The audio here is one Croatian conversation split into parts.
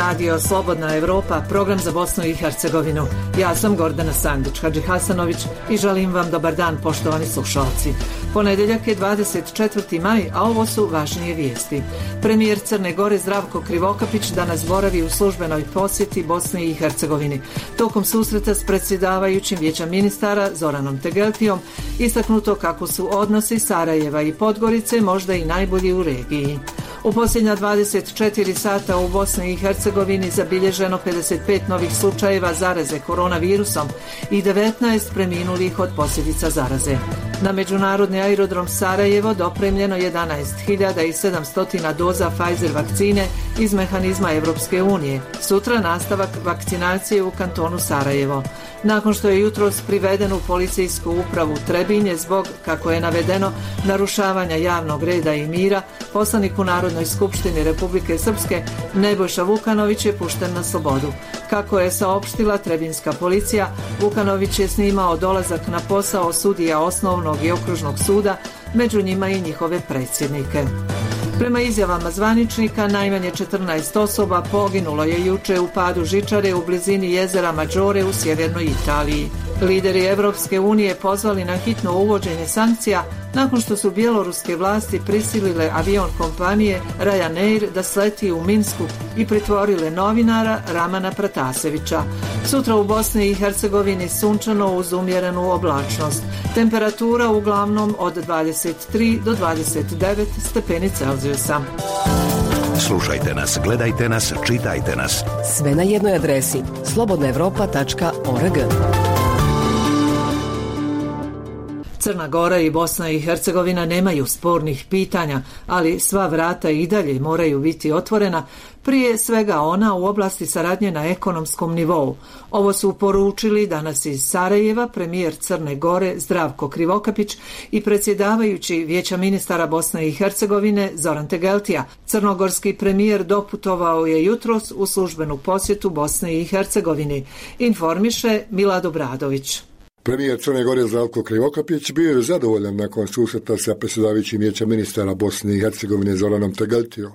Radio Slobodna Evropa, program za Bosnu i Hercegovinu. Ja sam Gordana Sandić Hadžihasanović i želim vam dobar dan, poštovani slušalci. Ponedeljak je 24. maj, a ovo su važnije vijesti. Premijer Crne Gore Zdravko Krivokapić danas boravi u službenoj posjeti Bosni i Hercegovini. Tokom susreta s predsjedavajućim Vijeća ministara Zoranom Tegeltijom istaknuto kako su odnosi Sarajeva i Podgorice možda i najbolji u regiji. U posljednja 24 sata u Bosni i Hercegovini zabilježeno 55 novih slučajeva zaraze koronavirusom i 19 preminulih od posljedica zaraze. Na međunarodni aerodrom Sarajevo dopremljeno 11.700 doza Pfizer vakcine iz mehanizma Evropske unije. Sutra nastavak vakcinacije u kantonu Sarajevo. Nakon što je jutros priveden u policijsku upravu Trebinje zbog, kako je navedeno, narušavanja javnog reda i mira, poslanik u Narodnoj skupštini Republike Srpske Nebojša Vukanović je pušten na slobodu. Kako je saopštila trebinska policija, Vukanović je snimao dolazak na posao sudija osnovnog i okružnog suda, među njima i njihove predsjednike. Prema izjavama zvaničnika, najmanje 14 osoba poginulo je juče u padu žičare u blizini jezera Maggiore u sjevernoj Italiji. Lideri Evropske unije pozvali na hitno uvođenje sankcija nakon što su bjeloruske vlasti prisilile avion kompanije Ryanair da sleti u Minsku i pritvorile novinara Ramana Pratasevića. Sutra u Bosni i Hercegovini sunčano uz umjerenu oblačnost. Temperatura uglavnom od 23 do 29 stepeni Celzijusa. Slušajte nas, gledajte nas, čitajte nas. Sve na jednoj adresi slobodnaevropa.org. Crna Gora i Bosna i Hercegovina nemaju spornih pitanja, ali sva vrata i dalje moraju biti otvorena, prije svega ona u oblasti saradnje na ekonomskom nivou. Ovo su poručili danas iz Sarajeva premijer Crne Gore Zdravko Krivokapić i predsjedavajući Vijeća ministara Bosne i Hercegovine Zoran Tegeltija. Crnogorski premijer doputovao je jutros u službenu posjetu Bosne i Hercegovini, informiše Milad Obradović. Premijer Crne Gore Zdravko Krivokapić bio je zadovoljan nakon susreta sa predsjedavajućim Vijeća ministara Bosne i Hercegovine Zoranom Tegeltijom.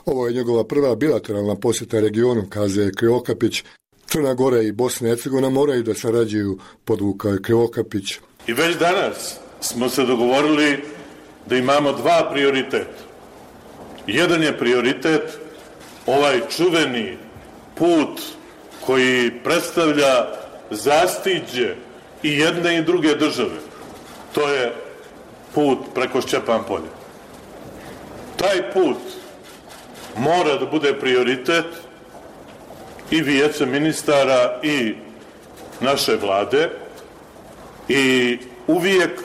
Ovo je njegova prva bilateralna posjeta regionu, kaže Krivokapić. Crna Gora i Bosna i Hercegovina moraju da sarađuju, podvukao je Krivokapić. I već danas smo se dogovorili da imamo dva prioriteta. Jedan je prioritet ovaj čuveni put koji predstavlja zastiđe i jedne i druge države. To je put preko Šćepan polja. Taj put mora da bude prioritet i Vijeća ministara i naše vlade i uvijek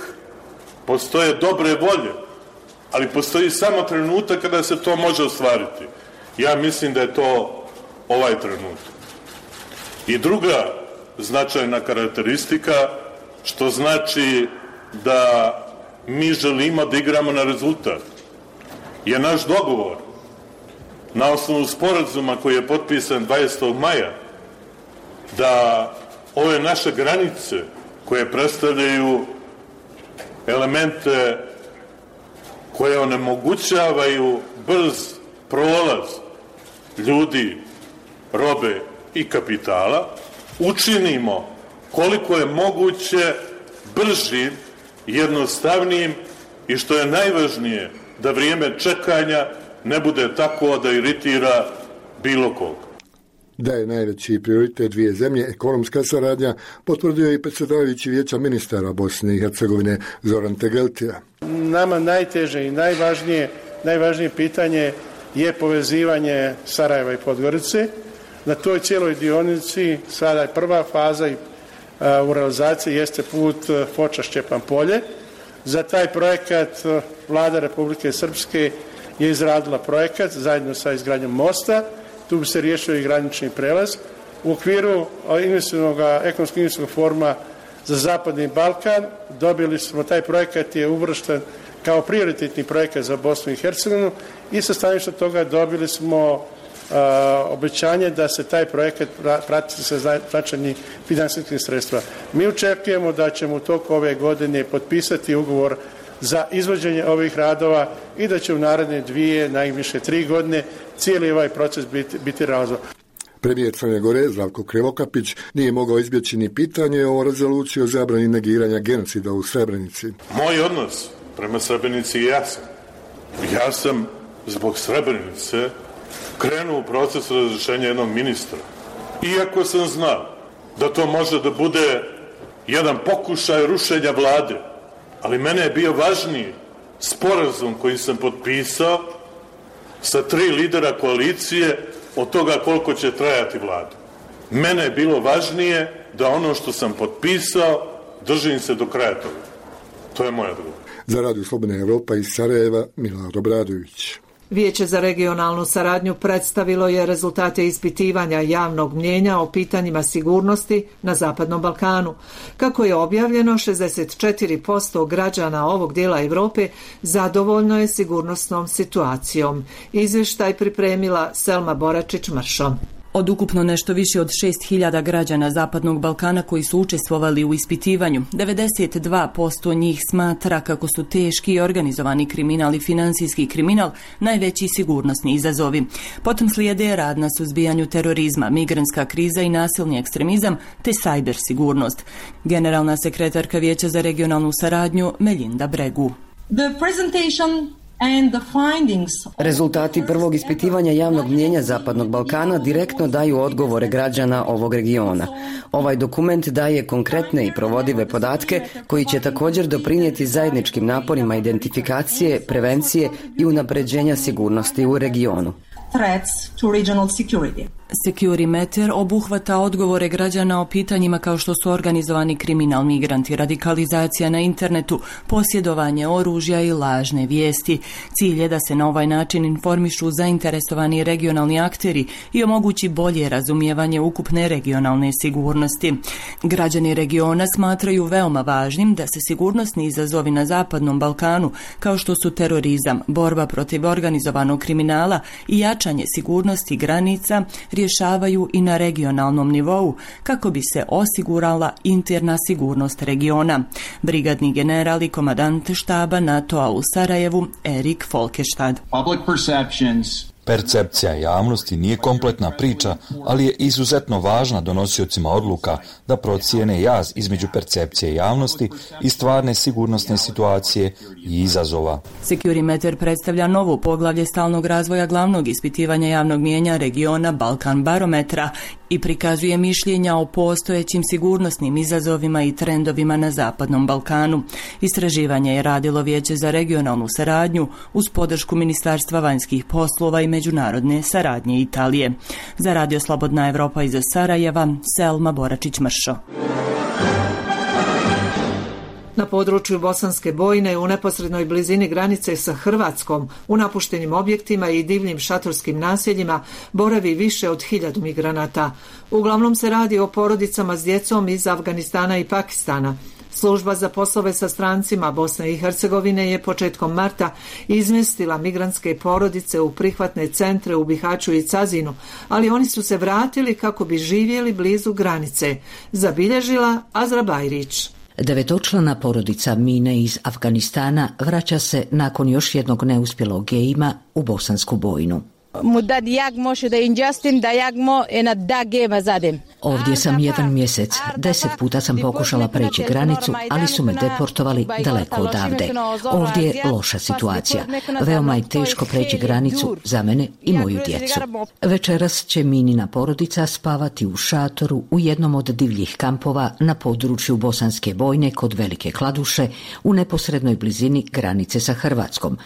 postoje dobre volje, ali postoji samo trenutak kada se to može ostvariti. Ja mislim da je to ovaj trenutak. I druga značajna karakteristika, što znači da mi želimo da igramo na rezultat, je naš dogovor na osnovu sporazuma koji je potpisan 20. maja da ove naše granice koje predstavljaju elemente koje onemogućavaju brz prolaz ljudi, robe i kapitala, učinimo koliko je moguće bržim, jednostavnijim i što je najvažnije, da vrijeme čekanja ne bude tako da iritira bilo koga. Da je najveći prioritet dvije zemlje ekonomska saradnja, potvrdio i predsjedavajući Vijeća ministara Bosne i Hercegovine Zoran Tegeltija. Nama najteže i najvažnije pitanje je povezivanje Sarajeva i Podgorice. Na toj cijeloj dionici sada je prva faza u realizaciji jeste put Foča-Šćepan polje. Za taj projekat Vlada Republike Srpske je izradila projekat zajedno sa izgradnjom mosta. Tu bi se riješio i granični prelaz. U okviru ekonomskog investicijskog foruma za Zapadni Balkan dobili smo, taj projekat je uvršten kao prioritetni projekat za Bosnu i Hercegovinu i sa stanovišta toga dobili smo obećanje da se taj projekat prati sa značajnim finansijskim sredstva. Mi očekujemo da ćemo u toku ove godine potpisati ugovor za izvođenje ovih radova i da će u naredne 2, najviše 3 godine cijeli ovaj proces biti realizovan. Premijer Crne Gore Zdravko Krivokapić nije mogao izbjeći ni pitanje o rezoluciji o zabrani negiranja genocida u Srebrenici. Moj odnos prema Srebrenici je jasan. Ja sam zbog Srebrenice krenuo u proces razrješenja jednog ministra. Iako sam znao da to može da bude jedan pokušaj rušenja vlade, ali mene je bio važniji sporazum koji sam potpisao sa 3 lidera koalicije od toga koliko će trajati vlada. Mene je bilo važnije da ono što sam potpisao držim se do kraja toga. To je moj odgovor. Za Radio Slobodna Evropa iz Sarajeva, Milorad Obradović. Vijeće za regionalnu saradnju predstavilo je rezultate ispitivanja javnog mnijenja o pitanjima sigurnosti na Zapadnom Balkanu. Kako je objavljeno, 64% građana ovog dijela Europe zadovoljno je sigurnosnom situacijom. Izvještaj pripremila Selma Boračić-Mršo. Od ukupno nešto više od 6.000 građana Zapadnog Balkana koji su učestvovali u ispitivanju, 92% njih smatra kako su teški i organizovani kriminal i financijski kriminal najveći sigurnosni izazovi. Potom slijede rad na suzbijanju terorizma, migrantska kriza i nasilni ekstremizam te sajber sigurnost. Generalna sekretarka Vijeća za regionalnu saradnju Melinda Bregu. Rezultati prvog ispitivanja javnog mnijenja Zapadnog Balkana direktno daju odgovore građana ovog regiona. Ovaj dokument daje konkretne i provodive podatke koji će također doprinijeti zajedničkim naporima identifikacije, prevencije i unapređenja sigurnosti u regionu. Securimeter obuhvata odgovore građana o pitanjima kao što su organizovani kriminal, migranti, radikalizacija na internetu, posjedovanje oružja i lažne vijesti. Cilj je da se na ovaj način informišu zainteresovani regionalni akteri i omogući bolje razumijevanje ukupne regionalne sigurnosti. Građani regiona smatraju veoma važnim da se sigurnosni izazovi na Zapadnom Balkanu, kao što su terorizam, borba protiv organizovanog kriminala i jačanje sigurnosti granica, rješavaju i na regionalnom nivou kako bi se osigurala interna sigurnost regiona. Brigadni general i komandant štaba NATO-a u Sarajevu Erik Folkestad. Percepcija javnosti nije kompletna priča, ali je izuzetno važna donosiocima odluka da procijene jaz između percepcije javnosti i stvarne sigurnosne situacije i izazova. Securimeter predstavlja novo poglavlje stalnog razvoja glavnog ispitivanja javnog mnijenja regiona Balkan barometra i prikazuje mišljenja o postojećim sigurnosnim izazovima i trendovima na Zapadnom Balkanu. Istraživanje je radilo Vijeće za regionalnu saradnju uz podršku Ministarstva vanjskih poslova i međunarodne saradnje Italije. Za Radio Slobodna Evropa iz Sarajeva, Selma Boračić-Mršo. Na području Bosanske Bojne u neposrednoj blizini granice sa Hrvatskom, u napuštenim objektima i divljim šatorskim naseljima boravi više od 1000 migranata. Uglavnom se radi o porodicama s djecom iz Afganistana i Pakistana. Služba za poslove sa strancima Bosne i Hercegovine je početkom marta izmjestila migrantske porodice u prihvatne centre u Bihaću i Cazinu, ali oni su se vratili kako bi živjeli blizu granice, zabilježila Azra Bajrić. 9-člana porodica Mine iz Afganistana vraća se nakon još jednog neuspjelog gejima u Bosansku Bojnu. Ovdje sam 1 mjesec. 10 puta sam pokušala preći granicu, ali su me deportovali daleko odavde. Ovdje je loša situacija. Veoma je teško preći granicu za mene i moju djecu. Večeras će Minina porodica spavati u šatoru u jednom od divljih kampova na području Bosanske Bojne kod Velike Kladuše u neposrednoj blizini granice sa Hrvatskom.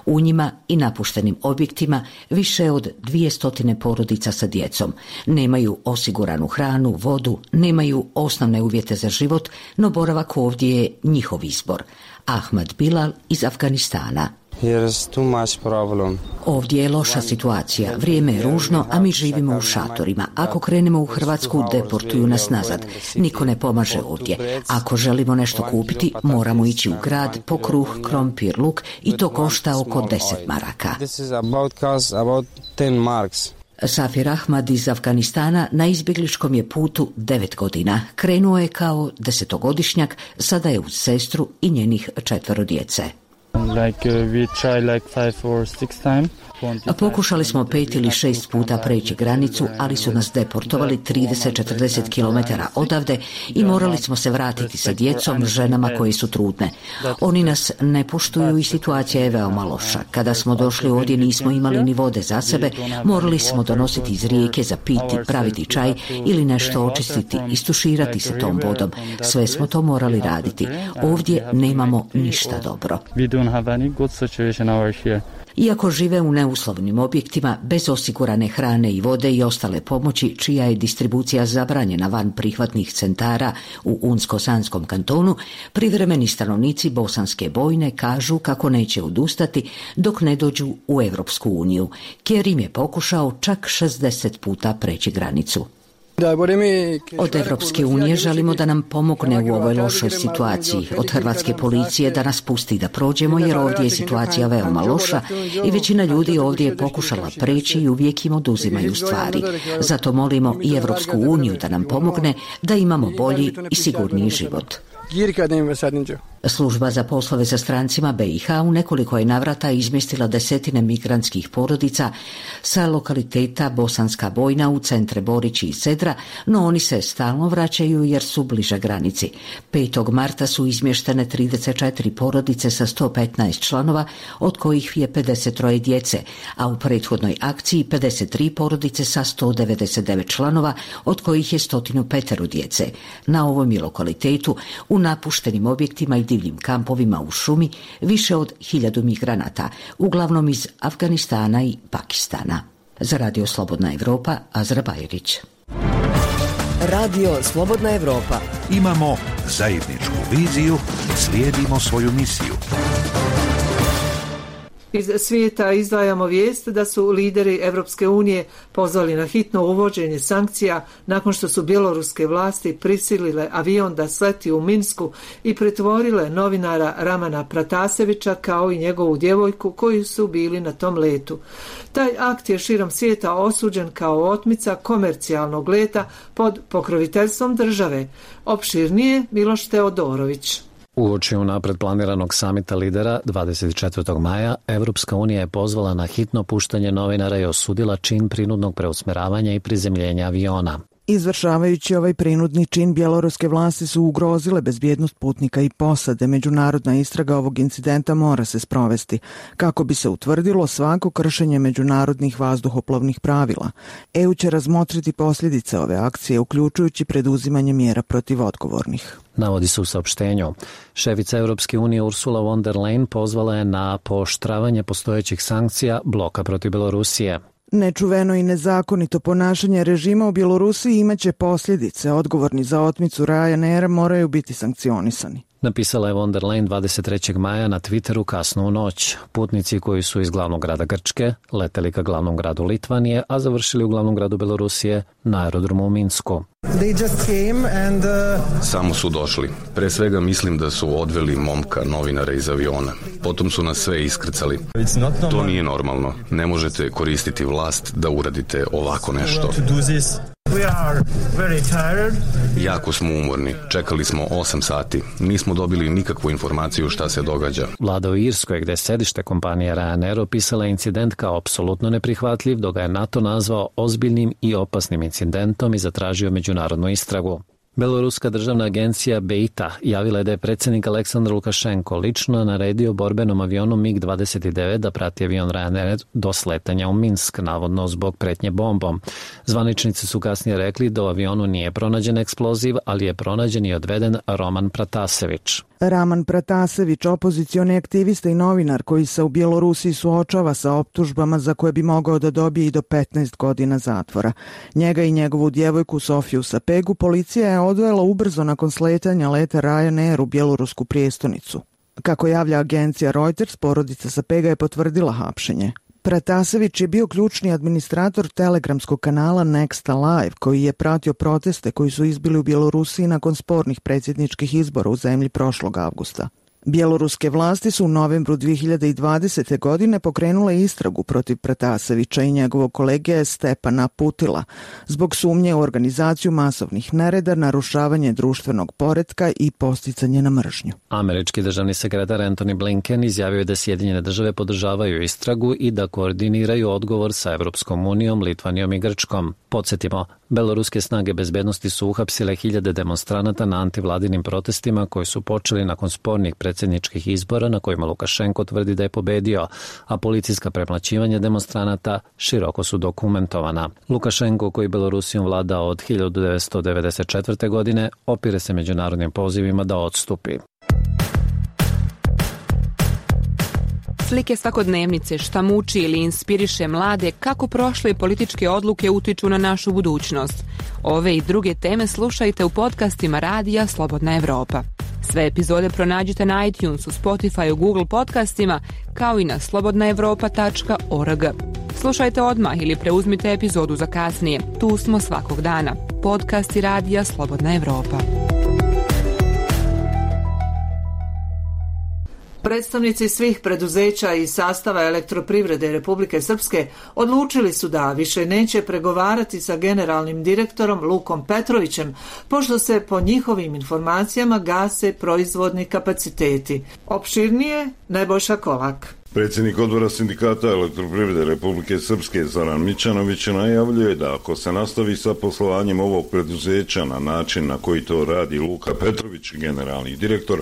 U njima i napuštenim objektima više od 200 porodica sa djecom. Nemaju osiguranu hranu, vodu, nemaju osnovne uvjete za život, no boravak ovdje je njihov izbor. Ahmad Bilal iz Afganistana. Ovdje je loša situacija, vrijeme je ružno, a mi živimo u šatorima. Ako krenemo u Hrvatsku, deportuju nas nazad. Niko ne pomaže ovdje. Ako želimo nešto kupiti, moramo ići u grad po kruh, krompir, luk i to košta oko 10 maraka. Safir Ahmad iz Afganistana na izbjegličkom je putu 9 godina. Krenuo je kao 10-godišnjak, sada je uz sestru i njenih 4 djece. Pokušali smo 5 ili 6 puta preći granicu, ali su nas deportovali 30-40 km odavde i morali smo se vratiti sa djecom, ženama koje su trudne. Oni nas ne poštuju i situacija je veoma loša. Kada smo došli ovdje nismo imali ni vode za sebe, morali smo donositi iz rijeke za piti, praviti čaj ili nešto očistiti, istuširati se tom vodom. Sve smo to morali raditi. Ovdje nemamo ništa dobro. Iako žive u neuslovnim objektima, bez osigurane hrane i vode i ostale pomoći, čija je distribucija zabranjena van prihvatnih centara u Unsko-Sanskom kantonu, privremeni stanovnici Bosanske Bojne kažu kako neće odustati dok ne dođu u Europsku uniju. Kerim je pokušao čak 60 puta preći granicu. Od Europske unije želimo da nam pomogne u ovoj lošoj situaciji. Od hrvatske policije da nas pusti da prođemo, jer ovdje je situacija veoma loša i većina ljudi ovdje je pokušala preći i uvijek im oduzimaju stvari. Zato molimo i Europsku uniju da nam pomogne da imamo bolji i sigurniji život. Služba za poslove sa strancima BiH u nekoliko je navrata izmjestila desetine migrantskih porodica sa lokaliteta Bosanska Bojna u centre Borići i Sedra, no oni se stalno vraćaju jer su bliže granici. 5. marta su izmještene 34 porodice sa 115 članova, od kojih je 53 djece, a u prethodnoj akciji 53 porodice sa 199 članova, od kojih je 105 djece. Na ovom je lokalitetu u napuštenim objektima i divljim kampovima u šumi više od 1000 migranata, uglavnom iz Afganistana i Pakistana. Za Radio Slobodna Evropa, Azra Bajrić. Radio Slobodna Evropa. Imamo zajedničku viziju, slijedimo svoju misiju. Iz svijeta izdvajamo vijest da su lideri Europske unije pozvali na hitno uvođenje sankcija nakon što su bjeloruske vlasti prisilile avion da sleti u Minsku i pretvorile novinara Ramana Pratasevića kao i njegovu djevojku koji su bili na tom letu. Taj akt je širom svijeta osuđen kao otmica komercijalnog leta pod pokroviteljstvom države. Opširnije Miloš Teodorović. Uoči unapred planiranog samita lidera 24. maja, Evropska unija je pozvala na hitno puštanje novinara i osudila čin prinudnog preusmjeravanja i prizemljenja aviona. Izvršavajući ovaj prinudni čin, bjeloruske vlasti su ugrozile bezbjednost putnika i posade. Međunarodna istraga ovog incidenta mora se sprovesti kako bi se utvrdilo svako kršenje međunarodnih vazduhoplovnih pravila. EU će razmotriti posljedice ove akcije, uključujući preduzimanje mjera protiv odgovornih. Navodi se u saopštenju. Šefica Europske unije Ursula von der Leyen pozvala je na pooštravanje postojećih sankcija bloka protiv Belorusije. Nečuveno i nezakonito ponašanje režima u Bjelorusiji imaće posljedice. Odgovorni za otmicu Ryanaira moraju biti sankcionisani. Napisala je von der Leyen 23. maja na Twitteru kasno u noć. Putnici koji su iz glavnog grada Grčke leteli ka glavnom gradu Litvanije, a završili u glavnom gradu Belorusije na aerodromu u Minsku. Samo su došli. Pre svega mislim da su odveli momka novinara iz aviona. Potom su nas sve iskrcali. To nije normalno. Ne možete koristiti vlast da uradite ovako nešto. Jako smo umorni. Čekali smo 8 sati. Nismo dobili nikakvu informaciju šta se događa. Vlada u Irskoj, gde je sedište kompanije Ryanair, opisala incident kao apsolutno neprihvatljiv, dok ga je NATO nazvao ozbiljnim i opasnim incidentom i zatražio međunarodnu istragu. Beloruska državna agencija BEITA javila je da je predsjednik Aleksandar Lukašenko lično naredio borbenom avionu MiG-29 da prati avion Ryanair do sletanja u Minsk, navodno zbog pretnje bombom. Zvaničnici su kasnije rekli da u avionu nije pronađen eksploziv, ali je pronađen i odveden Roman Pratasević. Raman Pratasević, opozicioni aktivista i novinar koji se u Bjelorusiji suočava sa optužbama za koje bi mogao da dobije i do 15 godina zatvora. Njega i njegovu djevojku Sofiju Sapegu policija je odvela ubrzo nakon sletanja leta Ryanair u bjelorusku prijestolnicu. Kako javlja agencija Reuters, porodica Sapega je potvrdila hapšenje. Pratasević je bio ključni administrator telegramskog kanala Next Alive, koji je pratio proteste koji su izbili u Bjelorusiji nakon spornih predsjedničkih izbora u zemlji prošlog avgusta. Bjeloruske vlasti su u novembru 2020. godine pokrenule istragu protiv Pratasevića i njegovog kolege Stepana Putila zbog sumnje u organizaciju masovnih nereda, narušavanje društvenog poretka i posticanje na mržnju. Američki državni sekretar Antony Blinken izjavio je da Sjedinjene države podržavaju istragu i da koordiniraju odgovor sa Evropskom unijom, Litvanijom i Grčkom. Podsjetimo, beloruske snage bezbednosti su uhapsile hiljade demonstranata na antivladinim protestima koji su počeli nakon spornih predsjedničkih izbora na kojima Lukašenko tvrdi da je pobedio, a policijska premlaćivanja demonstranata široko su dokumentovana. Lukašenko, koji Belorusijom vlada od 1994. godine, opire se međunarodnim pozivima da odstupi. Slike svakodnevnice, šta muči ili inspiriše mlade, kako prošle političke odluke utiču na našu budućnost. Ove i druge teme slušajte u podcastima Radija Slobodna Evropa. Sve epizode pronađite na iTunesu, Spotifyu, Google podcastima, kao i na slobodnaevropa.org. Slušajte odmah ili preuzmite epizodu za kasnije. Tu smo svakog dana. Podcasti Radija Slobodna Evropa. Predstavnici svih preduzeća i sastava Elektroprivrede Republike Srpske odlučili su da više neće pregovarati sa generalnim direktorom Lukom Petrovićem, pošto se po njihovim informacijama gase proizvodni kapaciteti. Opširnije Nebojša Kolak. Predsjednik odbora sindikata Elektroprivrede Republike Srpske Zoran Mićanović najavljuje da ako se nastavi sa poslovanjem ovog preduzeća na način na koji to radi Luka Petrović, generalni direktor,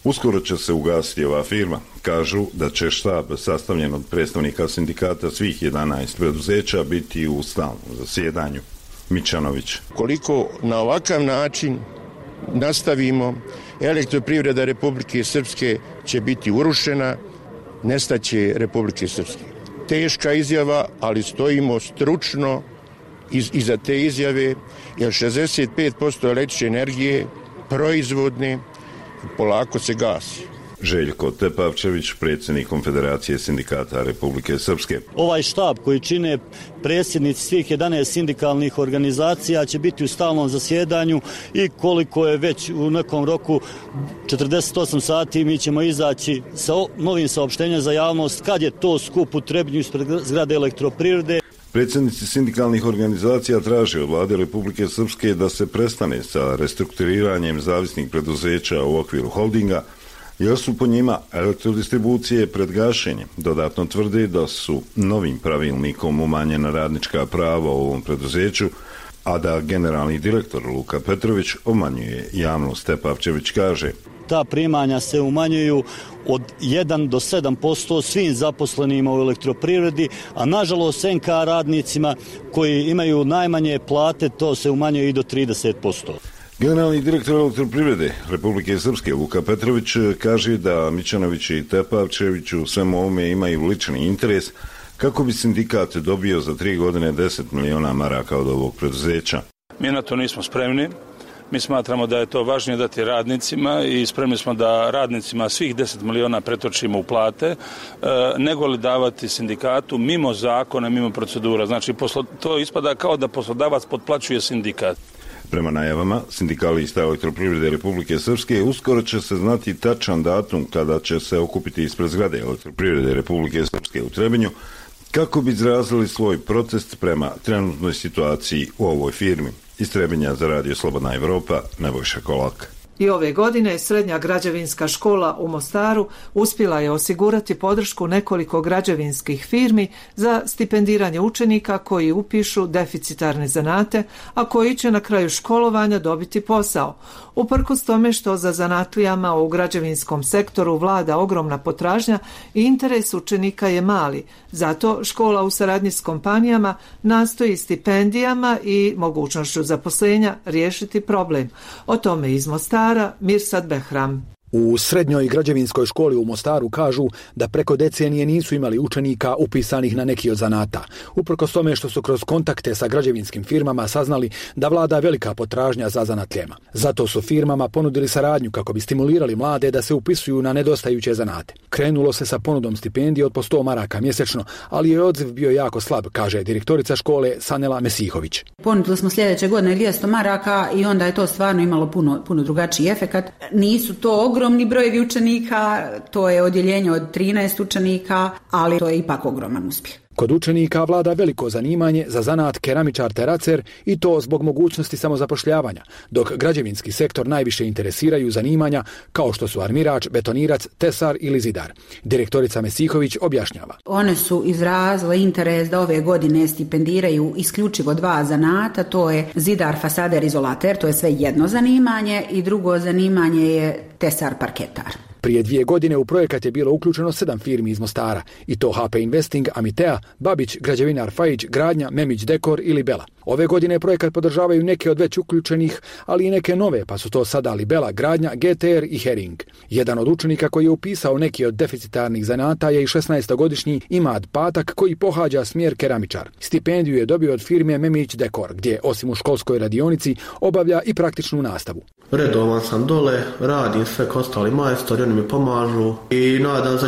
uskoro će se ugasiti ova firma. Kažu da će štab sastavljen od predstavnika sindikata svih 11 preduzeća biti u stalnom zasjedanju. Mićanović. Koliko na ovakav način nastavimo, Elektroprivreda Republike Srpske će biti urušena, nestaće Republike Srpske. Teška izjava, ali stojimo stručno iza te izjave, jer 65% električne energije proizvodne polako se gasi. Željko Tepavčević, predsjednik Konfederacije sindikata Republike Srpske. Ovaj štab koji čine predsjednici svih 11 sindikalnih organizacija će biti u stalnom zasjedanju i koliko je već u nekom roku 48 sati mi ćemo izaći sa novim saopštenjem za javnost kad je to skup u Trebinju ispred zgrade Elektroprivrede. Predsjednici sindikalnih organizacija traže od vlade Republike Srpske da se prestane sa restrukturiranjem zavisnih preduzeća u okviru holdinga, jer su po njima elektrodistribucije pred gašenjem. Dodatno tvrde da su novim pravilnikom umanjena radnička prava u ovom preduzeću, a da generalni direktor Luka Petrović obmanjuje javnost. Tepavčević kaže: ta primanja se umanjuju od 1 do 7% svim zaposlenima u elektroprivredi, a nažalost NK radnicima koji imaju najmanje plate to se umanjuje i do 30%. Generalni direktor Elektroprivrede Republike Srpske Luka Petrović kaže da Mićanović i Tepavčević u svemu ovome imaju lični interes kako bi sindikat dobio za 3 godine 10 miliona maraka od ovog preduzeća. Mi na to nismo spremni. Mi smatramo da je to važnije dati radnicima i spremni smo da radnicima svih 10 miliona pretočimo u plate, nego li davati sindikatu mimo zakona, mimo procedura. Znači, to ispada kao da poslodavac potplaćuje sindikat. Prema najavama sindikalista Elektroprivrede Republike Srpske uskoro će se znati tačan datum kada će se okupiti ispred zgrade Elektroprivrede Republike Srpske u Trebinju kako bi izrazili svoj protest prema trenutnoj situaciji u ovoj firmi. Iz Trebinja za Radio Slobodna Evropa, Nebojša Kolak. I ove godine Srednja građevinska škola u Mostaru uspjela je osigurati podršku nekoliko građevinskih firmi za stipendiranje učenika koji upišu deficitarne zanate, a koji će na kraju školovanja dobiti posao. Uprkos tome što za zanatlijama u građevinskom sektoru vlada ogromna potražnja i interes učenika je mali. Zato škola u saradnji s kompanijama nastoji stipendijama i mogućnošću zaposlenja riješiti problem. O tome iz Mostara Mirsad Behram. U Srednjoj građevinskoj školi u Mostaru kažu da preko decenije nisu imali učenika upisanih na neki od zanata. Uprkos tome što su kroz kontakte sa građevinskim firmama saznali da vlada velika potražnja za zanatlijama. Zato su firmama ponudili saradnju kako bi stimulirali mlade da se upisuju na nedostajuće zanate. Krenulo se sa ponudom stipendije od po 100 maraka mjesečno, ali je odziv bio jako slab, kaže direktorica škole Sanela Mesihović. Ponudili smo sljedeće godine 200 maraka i onda je to stvarno imalo puno drugačiji efekat. Nisu to ogromni ogromni brojevi učenika, to je odjeljenje od 13 učenika, ali to je ipak ogroman uspjeh. Kod učenika vlada veliko zanimanje za zanat keramičar teracer i to zbog mogućnosti samozapošljavanja, dok građevinski sektor najviše interesiraju zanimanja kao što su armirač, betonirac, tesar ili zidar. Direktorica Mesihović objašnjava. One su izrazile interes da ove godine stipendiraju isključivo 2 zanata, to je zidar, fasader, izolater, to je sve jedno zanimanje i drugo zanimanje je tesar, parketar. Prije 2 godine u projekat je bilo uključeno 7 firmi iz Mostara, i to HP Investing, Amitea, Babić, Građevinar Fajić, Gradnja, Memić Dekor ili Bela. Ove godine projekat podržavaju neke od već uključenih, ali i neke nove, pa su to sada Libela, Gradnja, GTR i Hering. Jedan od učenika koji je upisao neki od deficitarnih zanata je i 16-godišnji Imad Patak, koji pohađa smjer keramičar. Stipendiju je dobio od firme Memić Dekor, gdje osim u školskoj radionici obavlja i praktičnu nastavu. Redovan sam dole, radim sve kao ostali majstori, oni mi pomažu i nadam se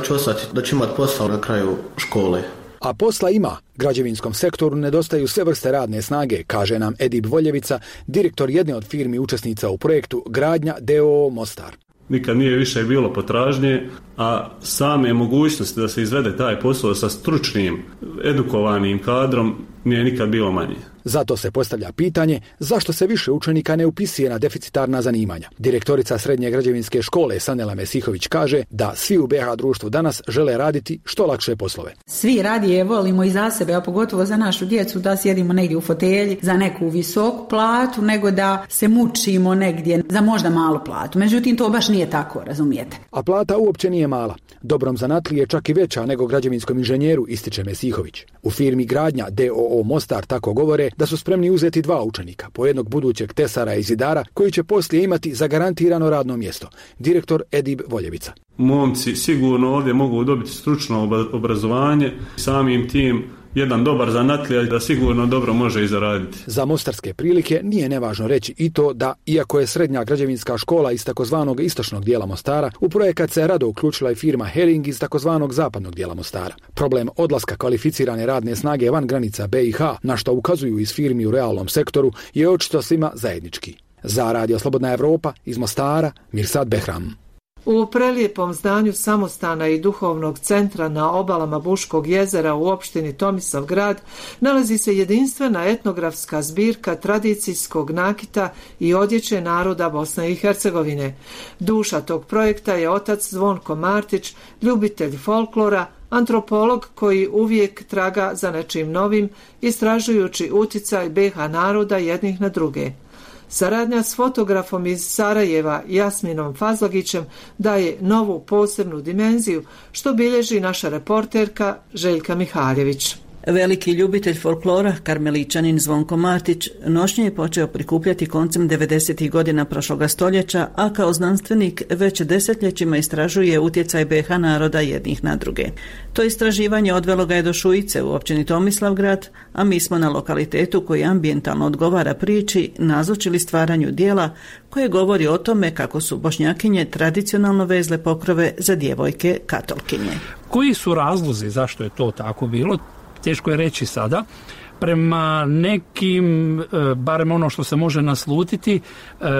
da ću imati posao na kraju škole. A posla ima. Građevinskom sektoru nedostaju sve vrste radne snage, kaže nam Edip Voljevica, direktor jedne od firmi učesnica u projektu Gradnja d.o.o. Mostar. Nikad nije više bilo potražnje, a same mogućnosti da se izvede taj posao sa stručnim, edukovanim kadrom nije nikad bilo manje. Zato se postavlja pitanje zašto se više učenika ne upisuje na deficitarna zanimanja. Direktorica Srednje građevinske škole Sanela Mesihović kaže da svi u BiH društvu danas žele raditi što lakše poslove. Svi radije volimo i za sebe, a pogotovo za našu djecu, da sjedimo negdje u fotelji za neku visoku platu, nego da se mučimo negdje za možda malu platu. Međutim, to baš nije tako, razumijete. A plata uopće nije mala. Dobrom zanatliji je čak i veća nego građevinskom inženjeru, ističe Mesihović. U firmi Gradnja d.o.o. Mostar tako govore da su spremni uzeti 2 učenika, po jednog budućeg tesara i zidara, koji će poslije imati zagarantirano radno mjesto. Direktor Edip Voljevica. Momci sigurno ovdje mogu dobiti stručno obrazovanje, samim tim jedan dobar zanatlija da sigurno dobro može i zaraditi. Za mostarske prilike nije nevažno reći i to da, iako je srednja građevinska škola iz takozvanog istočnog dijela Mostara, u projekat se rado uključila i firma Hering iz takozvanog zapadnog dijela Mostara. Problem odlaska kvalificirane radne snage van granica BiH, na što ukazuju iz firmi u realnom sektoru, je očito svima zajednički. Za Radio Slobodna Evropa iz Mostara, Mirsad Behram. U prelijepom zdanju samostana i duhovnog centra na obalama Buškog jezera u opštini Tomislavgrad nalazi se jedinstvena etnografska zbirka tradicijskog nakita i odjeće naroda Bosne i Hercegovine. Duša tog projekta je otac Zvonko Martić, ljubitelj folklora, antropolog koji uvijek traga za nečim novim, istražujući uticaj BiH naroda jednih na druge. Saradnja s fotografom iz Sarajeva Jasminom Fazlagićem daje novu posebnu dimenziju, što bilježi naša reporterka Željka Mihaljević. Veliki ljubitelj folklora, karmeličanin Zvonko Martić, nošnje je počeo prikupljati koncem 90. godina prošloga stoljeća, a kao znanstvenik već desetljećima istražuje utjecaj BiH naroda jednih na druge. To istraživanje odvelo ga je do Šujice u općini Tomislavgrad, a mi smo na lokalitetu koji ambijentalno odgovara priči nazočili stvaranju dijela koje govori o tome kako su Bošnjakinje tradicionalno vezle pokrove za djevojke katolkinje. Koji su razlozi zašto je to tako bilo? Teško je reći sada. Prema nekim, barem ono što se može naslutiti,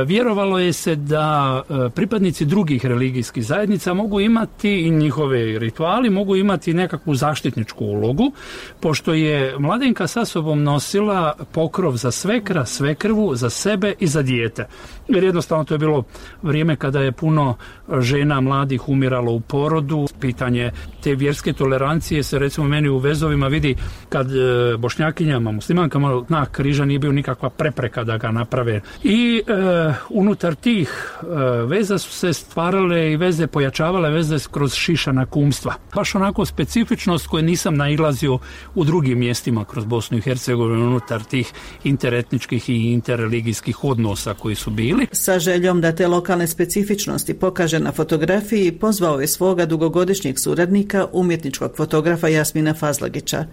vjerovalo je se da pripadnici drugih religijskih zajednica mogu imati i njihove rituali, mogu imati nekakvu zaštitničku ulogu, pošto je mladenka sa sobom nosila pokrov za svekra, svekrvu, za sebe i za dijete. Jer jednostavno to je bilo vrijeme kada je puno žena mladih umiralo u porodu. Pitanje te vjerske tolerancije se recimo meni u vezovima vidi kad Bošnjakinjama, muslimankama znak križa nije bio nikakva prepreka da ga naprave. I unutar tih veza su se stvarale i veze, pojačavale veze kroz šišana kumstva. Baš onako specifičnost koju nisam nailazio u drugim mjestima kroz Bosnu i Hercegovinu unutar tih interetničkih i interreligijskih odnosa koji su bili. Sa željom da te lokalne specifičnosti pokaže na fotografiji, pozvao je svoga dugogodišnjeg suradnika, umjetničkog fotografa Jasmina Fazlagića.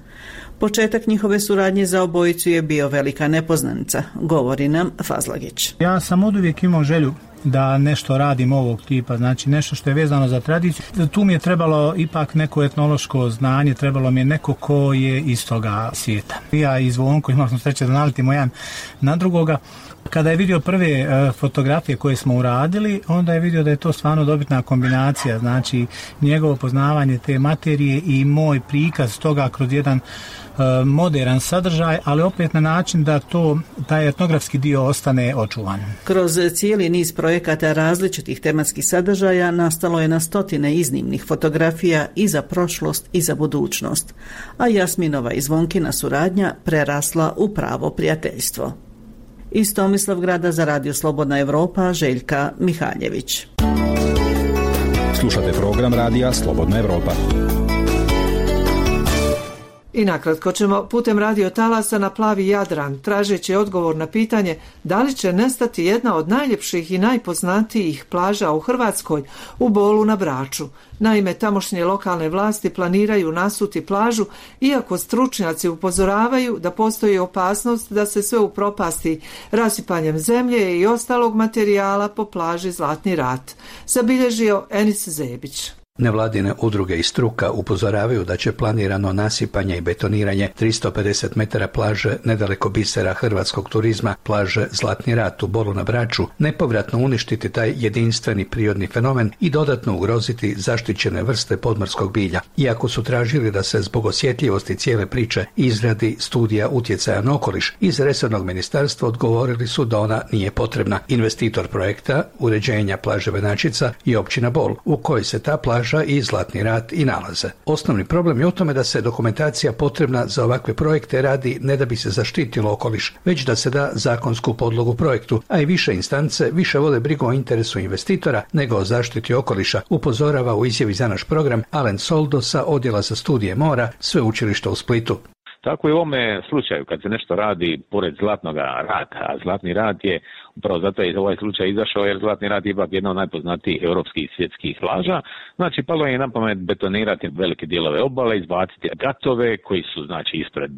Početak njihove suradnje za obojicu je bio velika nepoznanica, govori nam Fazlagić. Ja sam oduvijek imao želju da nešto radim ovog tipa, znači nešto što je vezano za tradiciju. Tu mi je trebalo ipak neko etnološko znanje, trebalo mi je neko ko je iz toga svijeta. Ja i Zvonko imali smo sreće da nalitimo jedan na drugoga. Kada je vidio prve fotografije koje smo uradili, onda je vidio da je to stvarno dobitna kombinacija, znači njegovo poznavanje te materije i moj prikaz toga kroz jedan modern sadržaj, ali opet na način da taj etnografski dio ostane očuvan. Kroz cijeli niz projekata različitih tematskih sadržaja nastalo je na stotine iznimnih fotografija i za prošlost i za budućnost, a Jasminova i Zvonkina suradnja prerasla u pravo prijateljstvo. Iz Tomislavgrada za Radio Slobodna Evropa, Željka Mihaljević. Slušate program Radija Slobodna Evropa. I nakratko ćemo putem radio talasa na plavi Jadran, tražeći odgovor na pitanje da li će nestati jedna od najljepših i najpoznatijih plaža u Hrvatskoj, u Bolu na Braču. Naime, tamošnje lokalne vlasti planiraju nasuti plažu, iako stručnjaci upozoravaju da postoji opasnost da se sve upropasti rasipanjem zemlje i ostalog materijala po plaži Zlatni rat. Zabilježio Enis Zebić. Nevladine udruge i struka upozoravaju da će planirano nasipanje i betoniranje 350 metara plaže nedaleko bisera hrvatskog turizma, plaže Zlatni rat u Bolu na Braču, nepovratno uništiti taj jedinstveni prirodni fenomen i dodatno ugroziti zaštićene vrste podmorskog bilja. Iako su tražili da se zbog osjetljivosti cijele priče izradi studija utjecaja na okoliš, iz resornog ministarstva odgovorili su da ona nije potrebna. Investitor projekta uređenja plaže Venačica je općina Bol, u kojoj se ta plaža i Zlatni rat i nalaze. Osnovni problem je u tome da se dokumentacija potrebna za ovakve projekte radi ne da bi se zaštitilo okoliš, već da se da zakonsku podlogu projektu, a i više instance više vode brigu o interesu investitora nego o zaštiti okoliša, upozorava u izjavi za naš program Alen Soldo sa Odjela za studije mora Sveučilišta u Splitu. Tako i u ovome slučaju kad se nešto radi pored Zlatnog rata, a Zlatni rat je upravo zato je ovaj slučaj izašao jer Zlatni rat je ipak jedna od najpoznatijih europskih i svjetskih plaža. Znači palo je na pamet betonirati velike dijelove obale, izbaciti gatove koji su znači ispred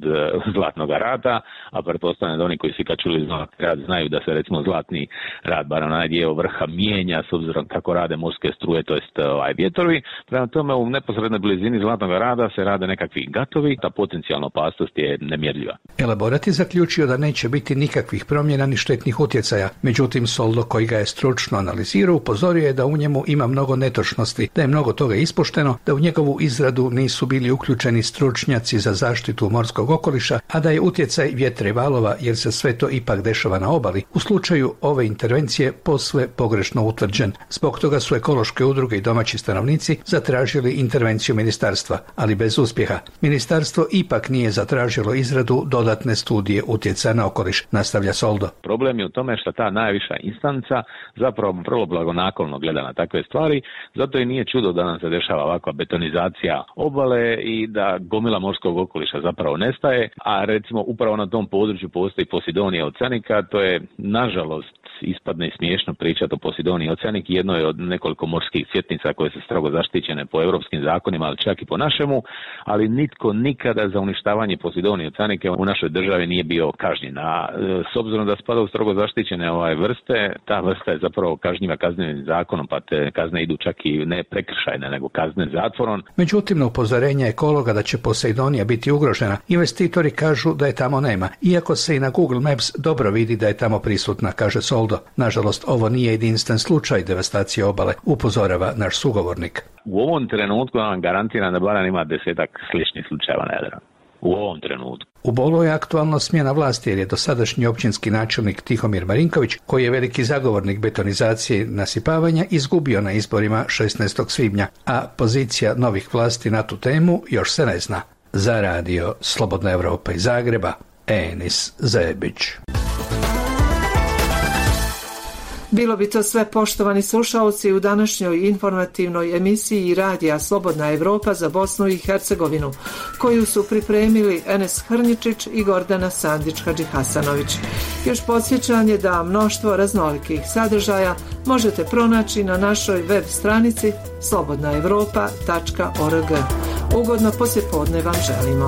Zlatnog rata, a pretpostavljam da oni koji su kad čuli Zlatni rat znaju da se recimo Zlatni rat, bar onaj dio vrha, mijenja s obzirom kako rade morske struje, to jest vjetrovi. Prema tome u neposrednoj blizini Zlatnog rada se rade nekakvi gatovi, ta potencijalna opasnost je nemjerljiva. Elaborat je zaključio da neće biti nikakvih promjena ni štetnih utjecaja. Međutim, Soldo, koji ga je stručno analizirao, upozorio je da u njemu ima mnogo netočnosti, da je mnogo toga ispošteno, da u njegovu izradu nisu bili uključeni stručnjaci za zaštitu morskog okoliša, a da je utjecaj vjetra i valova, jer se sve to ipak dešava na obali, u slučaju ove intervencije posve pogrešno utvrđen. Zbog toga su ekološke udruge i domaći stanovnici zatražili intervenciju ministarstva, ali bez uspjeha. Ministarstvo ipak nije zatražilo izradu dodatne studije utjecaja na okoliš, nastavlja Soldo. Problem je u tome što ta najviša instanca zapravo vrlo blagonaklono gleda na takve stvari, zato i nije čudo da nam se dešava ovakva betonizacija obale i da gomila morskog okoliša zapravo nestaje, a recimo upravo na tom području postoji Posidonija oceanica, to je nažalost ispadne smiješno pričati o Posidoniji oceanik, jedno je od nekoliko morskih svjetnica koje su strogo zaštićene po europskim zakonima, ali čak i po našemu, ali nitko nikada za uništavanje Posidonije oceanike u našoj državi nije bio kažnjen. A s obzirom da spada u strogo zaštićene vrste, ta vrsta je zapravo kažnjiva kaznenim zakonom, pa te kazne idu čak i ne prekršajne, nego kazne zatvorom. Međutim, na upozorenje ekologa da će Poseidonija biti ugrožena, investitori kažu da je tamo nema, iako se i na Google Maps dobro vidi da je tamo prisutna, kaže Soldo. Nažalost, ovo nije jedinstven slučaj devastacije obale, upozorava naš sugovornik. U ovom trenutku vam garantiram da barem ima 10-ak sličnih slučajeva na Jadranu. U ovom trenutku. U Bolu je aktualno smjena vlasti jer je dosadašnji općinski načelnik Tihomir Marinković, koji je veliki zagovornik betonizacije nasipavanja, izgubio na izborima 16. svibnja, a pozicija novih vlasti na tu temu još se ne zna. Za radio Slobodna Evropa iz Zagreba, Enis Zebić. Bilo bi to sve, poštovani slušalci, u današnjoj informativnoj emisiji Radija Slobodna Evropa za Bosnu i Hercegovinu, koju su pripremili Enes Hrnjičić i Gordana Sandić-Hadžihasanović. Još podsjećanje da mnoštvo raznolikih sadržaja možete pronaći na našoj web stranici slobodnaevropa.org. Ugodno poslijepodne vam želimo.